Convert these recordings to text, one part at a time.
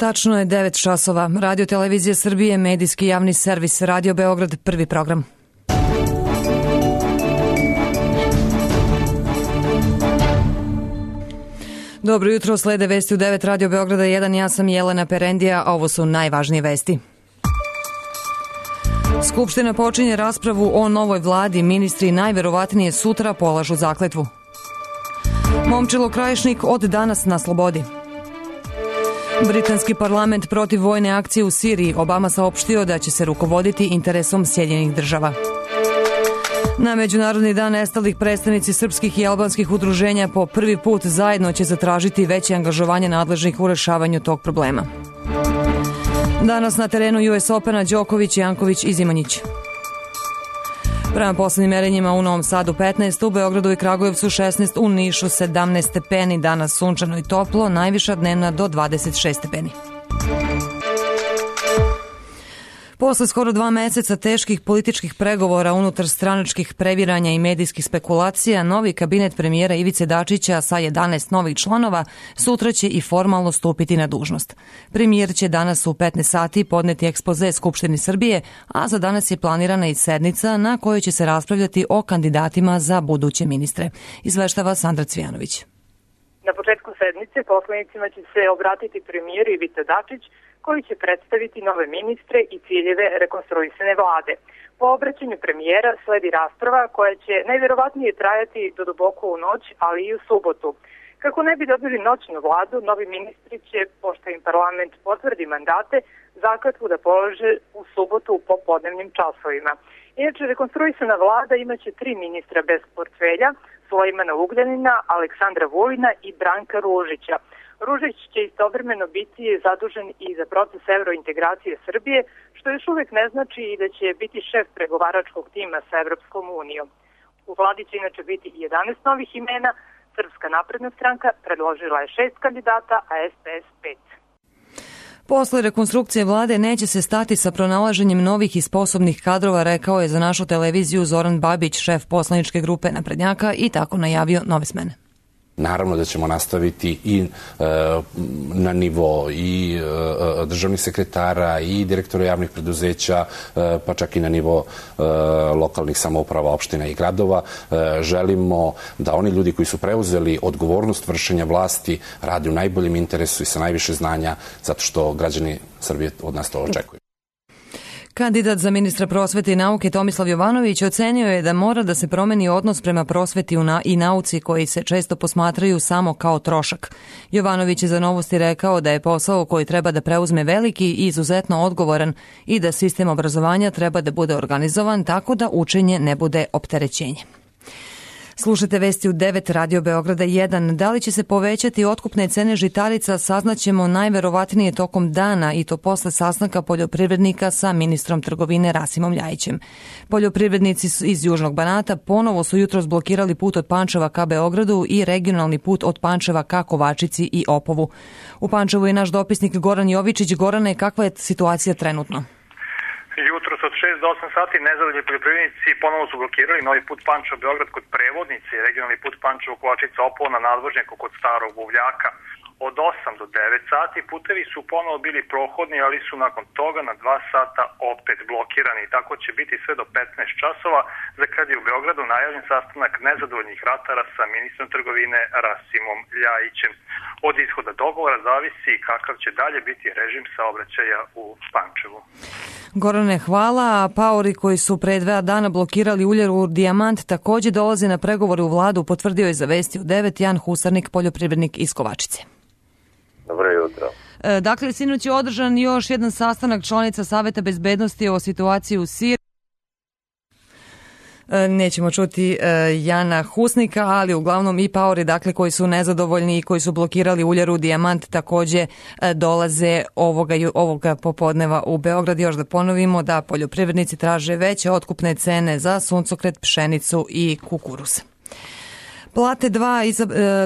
Tačno je 9 časova. Radio Televizija Srbije, medijski javni servis, Radio Beograd, prvi program. Dobro jutro, slede vesti u 9 Radio Beograda 1, ja sam Jelena Perendija, a ovo su najvažnije vesti. Skupština počinje raspravu o novoj vladi, ministri najverovatnije sutra polažu zakletvu. Momčilo Krajišnik od danas na slobodi. Britanski parlament protiv vojne akcije u Siriji. Obama saopštio da će se rukovoditi interesom Sjedinjenih država. Na Međunarodni dan nestalih predstavnici srpskih i albanskih udruženja po prvi put zajedno će zatražiti veće angažovanje nadležnih u rešavanju tog problema. Danas na terenu US Opena Đoković, Janković i Zimonjić. Prema poslednjim merenjima u Novom Sadu 15, u Beogradu i Kragujevcu 16, u Nišu 17 stepeni, danas sunčano i toplo, najviša dnevna do 26 stepeni. Posle skoro 2 meseca teških političkih pregovora, unutar stranačkih previranja i medijskih spekulacija, novi kabinet premijera Ivice Dačića sa 11 novih članova sutra će i formalno stupiti na dužnost. Premijer će danas u 15 sati podneti ekspoze Skupštini Srbije, a za danas je planirana i sednica na kojoj će se raspravljati o kandidatima za buduće ministre. Izveštava Sandra Cvijanović. Na početku sednice poslanicima će se obratiti premijer Ivica Dačić, koji će predstaviti nove ministre i ciljeve rekonstruisane vlade. Po obraćanju premijera sledi rasprava koja će najverovatnije trajati do duboko u noć, ali i u subotu. Kako ne bi dobili noćnu vladu, novi ministri će, pošto im parlament potvrdi mandate, zakletvu da polože u subotu u popodnevnim časovima. Inače, rekonstruisana vlada imaće 3 ministra bez portfelja, Sulejmana Ugljanina, Aleksandra Vulina i Branka Ružića. Ružić će istovremeno biti zadužen i za proces evrointegracije Srbije, što još uvek ne znači i da će biti šef pregovaračkog tima sa Evropskom unijom. U vladi će inače biti 11 novih imena, Srpska napredna stranka predložila je 6 kandidata, a SPS 5. Posle rekonstrukcije vlade neće se stati sa pronalaženjem novih i sposobnih kadrova, rekao je za našu televiziju Zoran Babić, šef poslaničke grupe naprednjaka, i tako najavio nove smene. Naravno da ćemo nastaviti i na nivo i državnih sekretara i direktora javnih preduzeća, pa čak i na nivo lokalnih samouprava, opština i gradova. Želimo da oni ljudi koji su preuzeli odgovornost vršenja vlasti rade u najboljem interesu i sa najviše znanja, zato što građani Srbije od nas to očekuju. Kandidat za ministra prosvete i nauke Tomislav Jovanović ocenio je da mora da se promeni odnos prema prosveti i nauci koji se često posmatraju samo kao trošak. Jovanović je za Novosti rekao da je posao koji treba da preuzme veliki i izuzetno odgovoran i da sistem obrazovanja treba da bude organizovan tako da učenje ne bude opterećenje. Slušate vesti u 9 Radio Beograda 1. Da li će se povećati otkupne cene žitarica, saznaćemo najverovatnije tokom dana i to posle sastanka poljoprivrednika sa ministrom trgovine Rasimom Ljajićem. Poljoprivrednici iz Južnog Banata ponovo su jutros blokirali put od Pančeva ka Beogradu i regionalni put od Pančeva ka Kovačici i Opovu. U Pančevu je naš dopisnik Goran Jovičić. Gorane, kakva je situacija trenutno? Jutros od 6 do 8 sati nezadovoljni poljoprivrednici ponovo su blokirali novi put Pančevo-Beograd kod Prevodnice i regionalni put Pančevo-Kovačica-Opovo na nadvožnjaku kod Starog Buvljaka. Od 8 do 9 sati putevi su ponovo bili prohodni, ali su nakon toga na 2 sata opet blokirani. Tako će biti sve do 15 časova, za kad je u Beogradu najavljen sastanak nezadovoljnih ratara sa ministrom trgovine Rasimom Ljajićem. Od ishoda dogovora zavisi kakav će dalje biti režim saobraćaja u Pančevu. Gorane, hvala. Paori koji su pre 2 dana blokirali uljaru Dijamant takođe dolaze na pregovore u vladu, potvrdio je za vesti u 9 Jan Husarnik, poljoprivrednik iz Kovačice. Dobro jutro. Dakle, sinoć je održan još jedan sastanak članica Saveta bezbednosti o situaciji u Siriji. Nećemo čuti Jana Husnika, ali uglavnom i paori, dakle, koji su nezadovoljni i koji su blokirali uljaru Dijamant takođe dolaze ovoga popodneva u Beograd. Još da ponovimo da poljoprivrednici traže veće otkupne cene za suncokret, pšenicu i kukuruz. Plate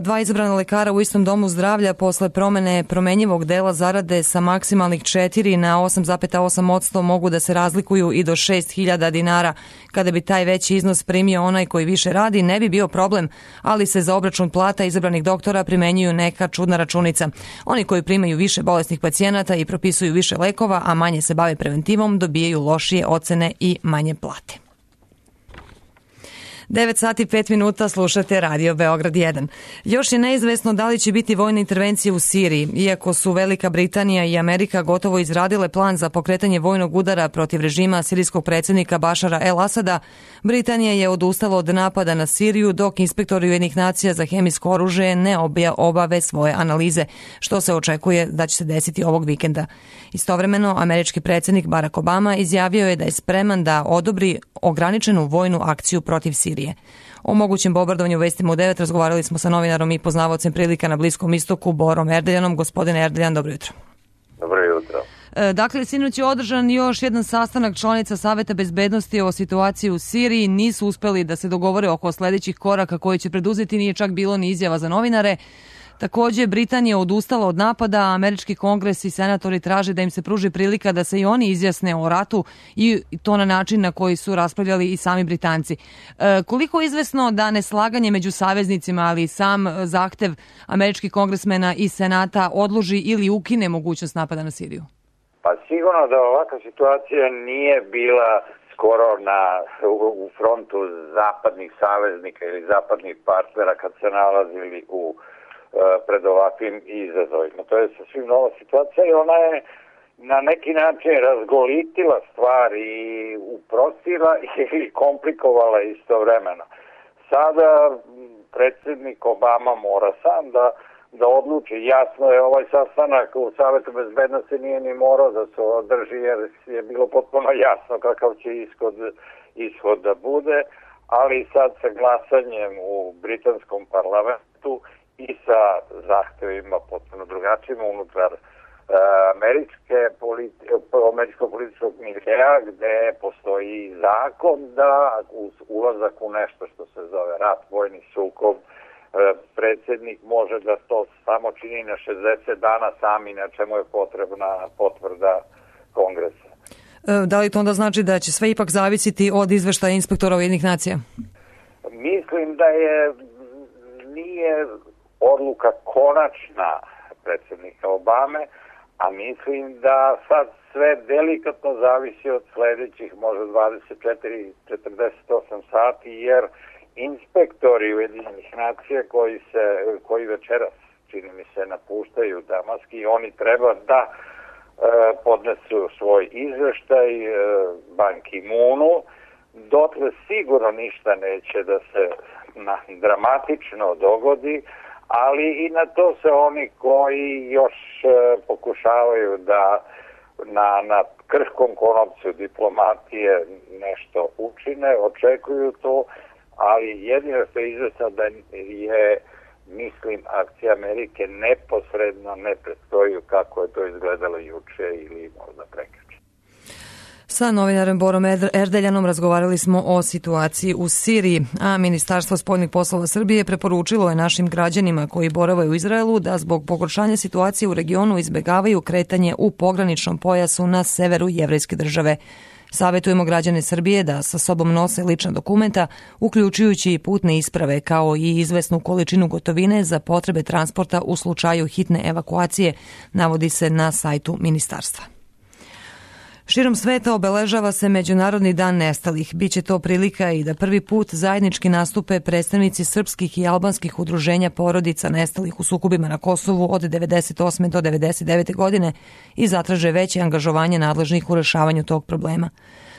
dva izabrana lekara u istom domu zdravlja posle promene promenjivog dela zarade sa maksimalnih 4 na 8,8% mogu da se razlikuju i do 6.000 dinara. Kada bi taj veći iznos primio onaj koji više radi, ne bi bio problem, ali se za obračun plata izabranih doktora primenjuju neka čudna računica. Oni koji primaju više bolesnih pacijenata i propisuju više lekova, a manje se bave preventivom, dobijaju lošije ocene i manje plate. 9 sati i 5 minuta, slušate Radio Beograd 1. Još je neizvesno da li će biti vojne intervencije u Siriji. Iako su Velika Britanija i Amerika gotovo izradile plan za pokretanje vojnog udara protiv režima sirijskog predsjednika Bašara el-Asada, Britanija je odustala od napada na Siriju dok inspektori Ujedinjenih nacija za hemijsko oružje ne obave svoje analize, što se očekuje da će se desiti ovog vikenda. Istovremeno, američki predsjednik Barack Obama izjavio je da je spreman da odobri ograničenu vojnu akciju protiv Sirije. O mogućem bombardovanju vestima u 9 razgovarali smo sa novinarom i poznavaocem prilika na Bliskom istoku Borom Erdeljanom. Gospodine Erdeljan, dobro jutro. Dobro jutro. Dakle, sinoć je održan još jedan sastanak članica Saveta bezbednosti o situaciji u Siriji. Nisu uspeli da se dogovore oko sledećih koraka koje će preduzeti, nije čak bilo ni izjava za novinare. Takođe, Britanija odustala od napada, a američki kongres i senatori traže da im se pruži prilika da se i oni izjasne o ratu i to na način na koji su raspravljali i sami Britanci. Koliko je izvesno da neslaganje među saveznicima, ali i sam zahtev američkih kongresmena i senata odloži ili ukine mogućnost napada na Siriju? Pa sigurno da ovakva situacija nije bila skoro u frontu zapadnih saveznika ili zapadnih partnera kad se nalazili pred ovakvim izazovima. To je sasvim nova situacija i ona je na neki način razgolitila stvar i uprostila ili komplikovala istovremeno. Sada predsjednik Obama mora sam da odluči. Jasno je, ovaj sastanak u Savetu bezbednosti nije ni morao da se održi jer je bilo potpuno jasno kakav će ishod da bude, ali sad sa glasanjem u britanskom parlamentu i sa zahtevima potpuno drugačijim unutar američkog političkog miljeja gde postoji zakon da uz ulazak u nešto što se zove rat, vojni sukob, predsjednik može da to samo čini na 60 dana sami, na čemu je potrebna potvrda kongresa. Da li to onda znači da će sve ipak zavisiti od izveštaja inspektora Ujedinjenih nacija? Mislim da nije odluka konačna predsjednika Obame, a mislim da sad sve delikatno zavisi od sledećih možda 24-48 sati, jer inspektori Ujedinjenih nacija koji večeras, čini mi se, napuštaju Damask i oni treba da podnesu svoj izveštaj Ban Ki-moonu, dotle sigurno ništa neće da se dramatično dogodi, ali i na to se oni koji još pokušavaju da na krhkom konopcu diplomatije nešto učine, očekuju to, ali jedino što je izvesno da je, mislim, akcija Amerike neposredno ne predstoju kako je to izgledalo juče ili možda prekjuče. Sa novinarem Borom Erdeljanom razgovarali smo o situaciji u Siriji, a Ministarstvo spoljnih poslova Srbije preporučilo je našim građanima koji borave u Izraelu da zbog pogoršanja situacije u regionu izbegavaju kretanje u pograničnom pojasu na severu jevrejske države. Savetujemo građane Srbije da sa sobom nose lična dokumenta, uključujući i putne isprave, kao i izvesnu količinu gotovine za potrebe transporta u slučaju hitne evakuacije, navodi se na sajtu ministarstva. Širom sveta obeležava se Međunarodni dan nestalih. Biće to prilika i da prvi put zajednički nastupe predstavnici srpskih i albanskih udruženja porodica nestalih u sukobima na Kosovu od 1998. do 1999. godine i zatraže veće angažovanje nadležnih u rešavanju tog problema.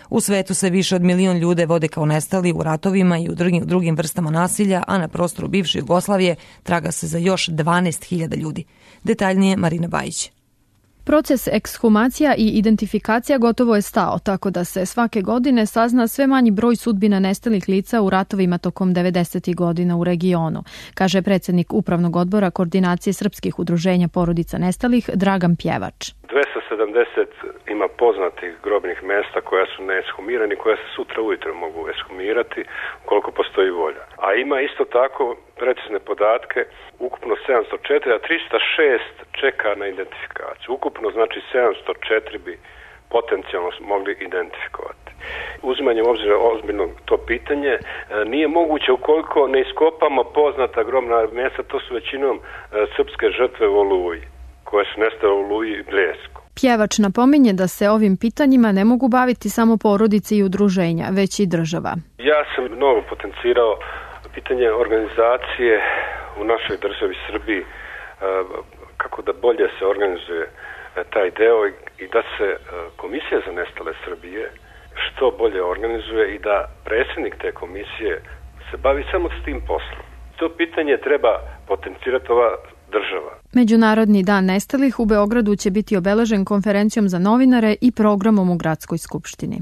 U svetu se više od 1 milion ljude vode kao nestali u ratovima i u drugim vrstama nasilja, a na prostoru bivše Jugoslavije traga se za još 12.000 ljudi. Detaljnije Marina Bajić. Proces ekshumacija i identifikacija gotovo je stao, tako da se svake godine sazna sve manji broj sudbina nestalih lica u ratovima tokom 90. godina u regionu, kaže predsjednik Upravnog odbora Koordinacije srpskih udruženja porodica nestalih Dragan Pjevač. 270 ima poznatih grobnih mjesta koja su neeshumirani, koja se sutra ujutro mogu eshumirati ukoliko postoji volja. A ima isto tako precizne podatke, ukupno 704, a 306 čeka na identifikaciju. Ukupno znači 704 bi potencijalno mogli identifikovati. Uzimanjem obzira ozbiljno to pitanje nije moguće ukoliko ne iskopamo poznata grobna mjesta, to su većinom srpske žrtve u Oluji, koje su nestale u Oluji i Bljesku. Pjevač napominje da se ovim pitanjima ne mogu baviti samo porodice i udruženja, već i država. Ja sam mnogo potencirao pitanje organizacije u našoj državi Srbiji, kako da bolje se organizuje taj deo i da se Komisija za nestale Srbije što bolje organizuje i da predsjednik te komisije se bavi samo s tim poslom. To pitanje treba potencirati ova država. Međunarodni dan nestalih u Beogradu će biti obeležen konferencijom za novinare i programom u Gradskoj skupštini.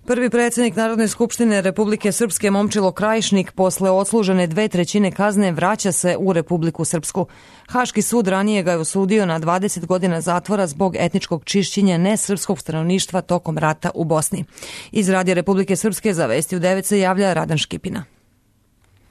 Prvi predsjednik Narodne skupštine Republike Srpske Momčilo Krajišnik posle odslužene 2/3 kazne vraća se u Republiku Srpsku. Haški sud ranije ga je osudio na 20 godina zatvora zbog etničkog čišćenja nesrpskog stanovništva tokom rata u Bosni. Iz Radija Republike Srpske za Vesti u 9 se javlja Radan Škipina.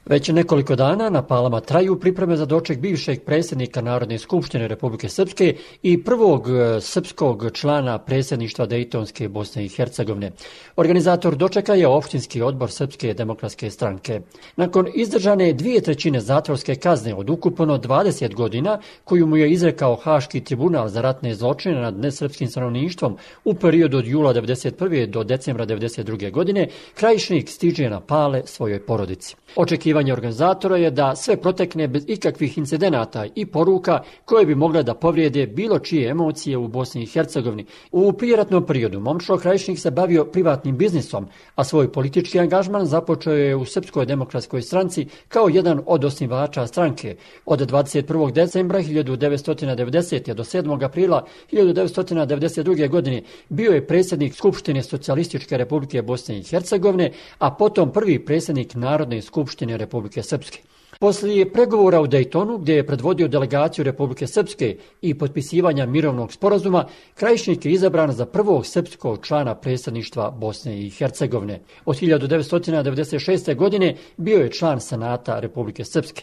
Već nekoliko dana na Palama traju pripreme za doček bivšeg predsjednika Narodne skupštine Republike Srpske i prvog srpskog člana predsjedništva Dejtonske Bosne i Hercegovine. Organizator dočeka je opštinski odbor Srpske demokratske stranke. Nakon izdržane 2/3 zatvorske kazne od ukupno 20 godina, koju mu je izrekao Haški tribunal za ratne zločine nad nesrpskim stanovništvom u periodu od jula 1991. do decembra 1992. godine, Krajišnik stiže na Pale svojoj porodici. Očekivanje organizatora je da sve protekne bez ikakvih incidenata i poruka koje bi mogle da povrijede bilo čije emocije u Bosni i Hercegovini. U prijeratnom periodu Momčilo Krajišnik se bavio privatnim biznisom, a svoj politički angažman započeo je u Srpskoj demokratskoj stranci kao jedan od osnivača stranke. Od 21. decembra 1990. do 7. aprila 1992. godine bio je predsjednik Skupštine Socijalističke Republike Bosne i Hercegovine, a potom prvi predsjednik Narodne skupštine Republike Srpske. Poslije pregovora u Dejtonu, gdje je predvodio delegaciju Republike Srpske i potpisivanja mirovnog sporazuma, Krajišnik je izabran za prvog srpskog člana predsjedništva Bosne i Hercegovine. Od 1996. godine bio je član Senata Republike Srpske.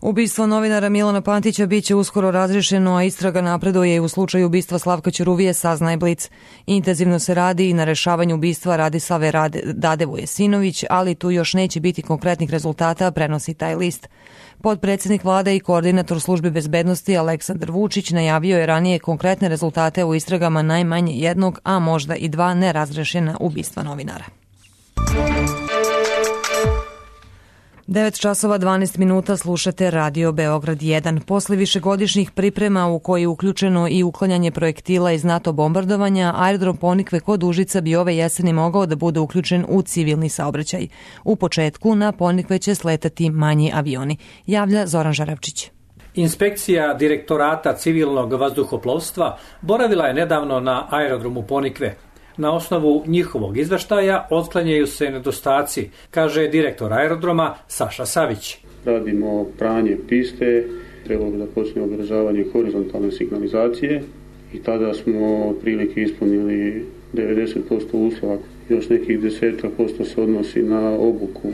Ubistvo novinara Milana Pantića biće uskoro razriješeno, a istraga napreduje i u slučaju ubistva Slavka Ćuruvije, saznaje Blic. Intenzivno se radi i na rešavanju ubistva Radislave Dadevoje Sinović, ali tu još neće biti konkretnih rezultata, prenosi taj list. Potpredsjednik vlade i koordinator službe bezbednosti Aleksandar Vučić najavio je ranije konkretne rezultate u istragama najmanje jednog, a možda i 2 nerazrešena ubistva novinara. 9:12 slušate Radio Beograd 1. Posle višegodišnjih priprema u koji je uključeno i uklanjanje projektila iz NATO bombardovanja, aerodrom Ponikve kod Užica bi ove jeseni mogao da bude uključen u civilni saobraćaj. U početku na Ponikve će sletati manji avioni, javlja Zoran Žaravčić. Inspekcija Direktorata civilnog vazduhoplovstva boravila je nedavno na aerodromu Ponikve. Na osnovu njihovog izveštaja otklanjaju se nedostaci, kaže direktor aerodroma Saša Savić. Radimo pranje piste, trebalo da počne održavanje horizontalne signalizacije i tada smo otprilike ispunili 90% uslova. Još nekih 10% se odnosi na obuku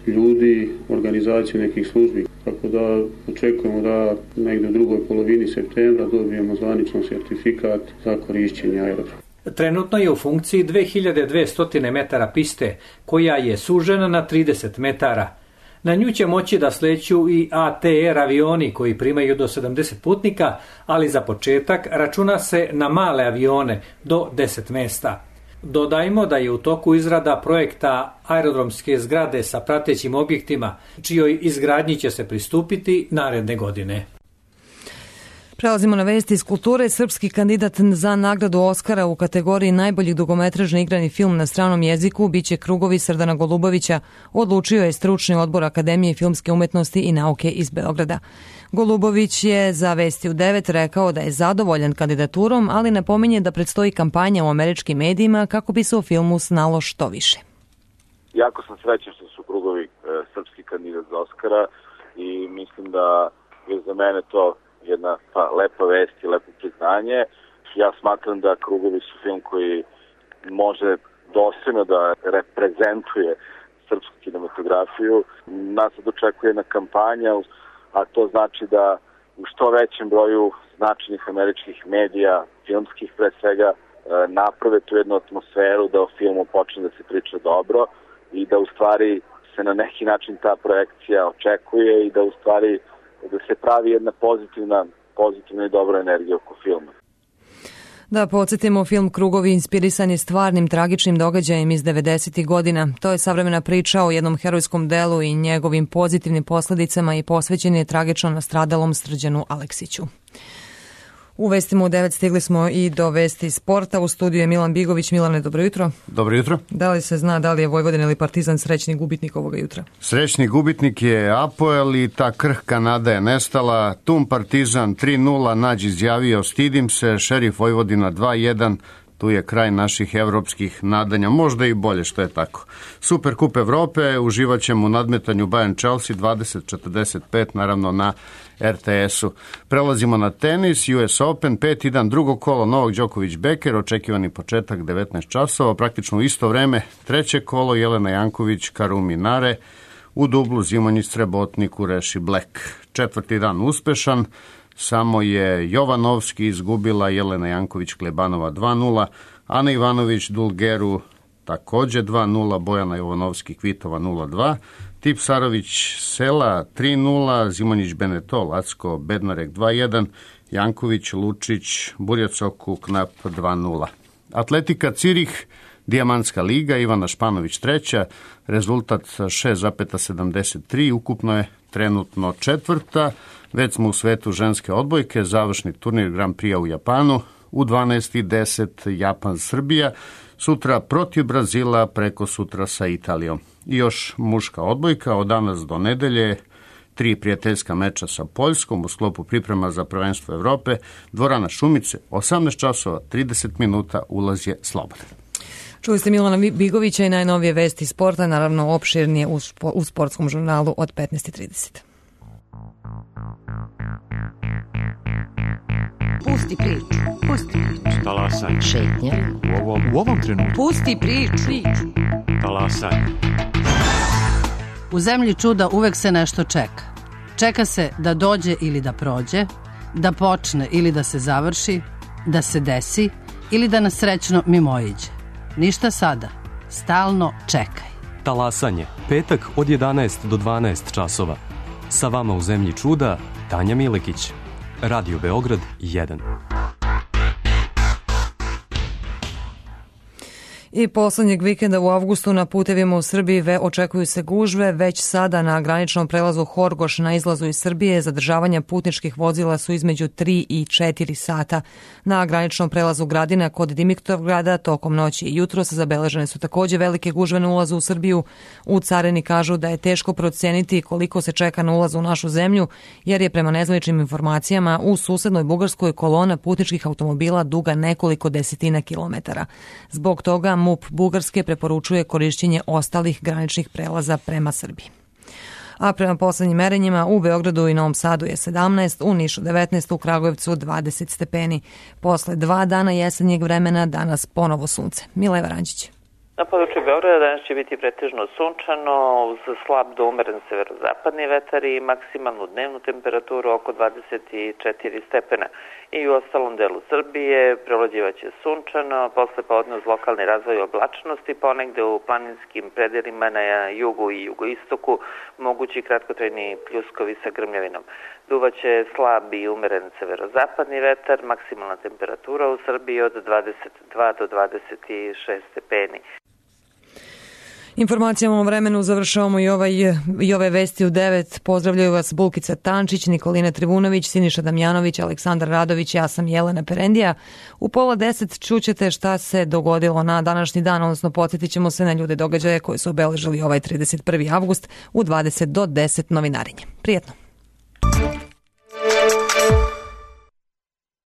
ljudi, organizaciju nekih službi. Tako da očekujemo da negdje u drugoj polovini septembra dobijemo zvaničan sertifikat za korišćenje aerodroma. Trenutno je u funkciji 2200 metara piste, koja je sužena na 30 metara. Na nju će moći da sleću i ATR avioni koji primaju do 70 putnika, ali za početak računa se na male avione do 10 mesta. Dodajmo da je u toku izrada projekta aerodromske zgrade sa pratećim objektima, čijoj izgradnji će se pristupiti naredne godine. Prelazimo na vesti iz kulture. Srpski kandidat za nagradu Oskara u kategoriji najboljih dugometražni igrani film na stranom jeziku biće Krugovi Srdana Golubovića, odlučio je stručni odbor Akademije filmske umetnosti i nauke iz Beograda. Golubović je za Vesti u 9 rekao da je zadovoljan kandidaturom, ali napominje da predstoji kampanja u američkim medijima kako bi se o filmu znalo što više. Jako sam srećan što su Krugovi srpski kandidat za Oskara i mislim da je za mene to jedna lepa vest i lepo priznanje. Ja smatram da Krugovi su film koji može dostojno da reprezentuje srpsku kinematografiju. Nas očekuje jedna kampanja, a to znači da u što većem broju značajnih američkih medija, filmskih pre svega, naprave tu jednu atmosferu da o filmu počne da se priča dobro i da u stvari se na neki način ta projekcija očekuje i da u stvari da se pravi jedna pozitivna i dobra energija oko filma. Da podsjetimo, film Krugovi inspirisan je stvarnim tragičnim događajem iz 90. godina. To je savremena priča o jednom herojskom delu i njegovim pozitivnim posledicama i posvećen je tragično nastradalom Srđanu Aleksiću. U vestima u 9 stigli smo i do vesti sporta. U studiju je Milan Bigović. Milane, dobro jutro. Dobro jutro. Da li se zna da li je Vojvodina ili Partizan srećni gubitnik ovoga jutra? Srećni gubitnik je Apoel i ta krhka nada je nestala. Tum Partizan 3-0, Nađ izjavio stidim se, Šerif Vojvodina 2-1. Tu je kraj naših evropskih nadanja, možda i bolje što je tako. Superkup Evrope, uživat ćemo u nadmetanju Bayern Chelsea 20:45, naravno na RTS-u. Prelazimo na tenis, US Open, 5. dan, drugo kolo, Novak Đoković Beker, očekivani početak 19 časova, praktično u isto vreme, treće kolo, Jelena Janković, Karumi Nare, u dublu Zimonjić Srebotnik, Ureši Black. 4. dan uspešan, samo je Jovanovski izgubila, Jelena Janković Klebanova 2-0, Ana Ivanović Dulgeru takođe 2-0, Bojana Jovanovski Kvitova 0-2, Tipsarović Sela 3-0, Zimonjić Beneto Lacko Bednarek 2-1, Janković Lučić Burjacoku Knap 2-0. Atletika Cirih, Dijamantska liga, Ivana Španović treća, rezultat 6,73, ukupno je trenutno četvrta. Već smo u svetu ženske odbojke, završni turnir Grand Prix u Japanu, u 12:10 Japan-Srbija, sutra protiv Brazila, preko sutra sa Italijom. I još muška odbojka, od danas do nedelje, 3 prijateljska meča sa Poljskom u sklopu priprema za prvenstvo Evrope, dvorana Šumice, 18 časova, 30 minuta, ulaz je slobodan. Čuli ste Milana Bigovića i najnovije vesti sporta, naravno opširnije u sportskom žurnalu od 15:30. Pusti priču. Talasaj. Šetnja. U ovom trenutku. Pusti priču. Talasaj. U zemlji čuda uvek se nešto čeka. Čeka se da dođe ili da prođe, da počne ili da se završi, da se desi ili da nas srećno mimoiđe. Ništa sada. Stalno čekaj. Talasanje. Petak od 11 do 12 časova. Sa vama u zemlji čuda, Tanja Milekić. Radio Beograd 1. I poslednjeg vikenda u avgustu na putevima u Srbiji očekuju se gužve. Već sada na graničnom prelazu Horgoš na izlazu iz Srbije zadržavanja putničkih vozila su između 3 i 4 sata. Na graničnom prelazu Gradina kod Dimitrovgrada tokom noći i jutros zabeležene su takođe velike gužve na ulazu u Srbiju. U carini kažu da je teško proceniti koliko se čeka na ulaz u našu zemlju, jer je prema nezvaničnim informacijama u susednoj Bugarskoj kolona putničkih automobila duga nekoliko desetina kilometara. Zbog toga MUP Bugarske preporučuje korišćenje ostalih graničnih prelaza prema Srbiji. A prema poslednjim merenjima u Beogradu i Novom Sadu je 17, u Nišu 19, u Kragujevcu 20 stepeni. Posle 2 dana jesenjeg vremena danas ponovo sunce. Mileva Rančić. Na području Beograda danas će biti pretežno sunčano, uz slab do umeren severozapadni vetar i maksimalnu dnevnu temperaturu oko 24 stepena. I u ostalom delu Srbije prevlađivaće sunčano, posle podne uz lokalni razvoj oblačnosti, ponegde u planinskim predelima na jugu i jugoistoku mogući kratkotrajni pljuskovi sa grmljavinom. Duvaće slab i umeren severozapadni vetar, maksimalna temperatura u Srbiji od 22 do 26 stepeni. Informacijama o vremenu završavamo i ove vesti u 9. Pozdravljaju vas Bulkica Tančić, Nikolina Trivunović, Siniša Damjanović, Aleksandar Radović, ja sam Jelena Perendija. U 9:30 čućete šta se dogodilo na današnji dan, odnosno podsjetit ćemo se na ljude događaje koji su obeležili ovaj 31. avgust u 20 do 10 novinarinje. Prijetno!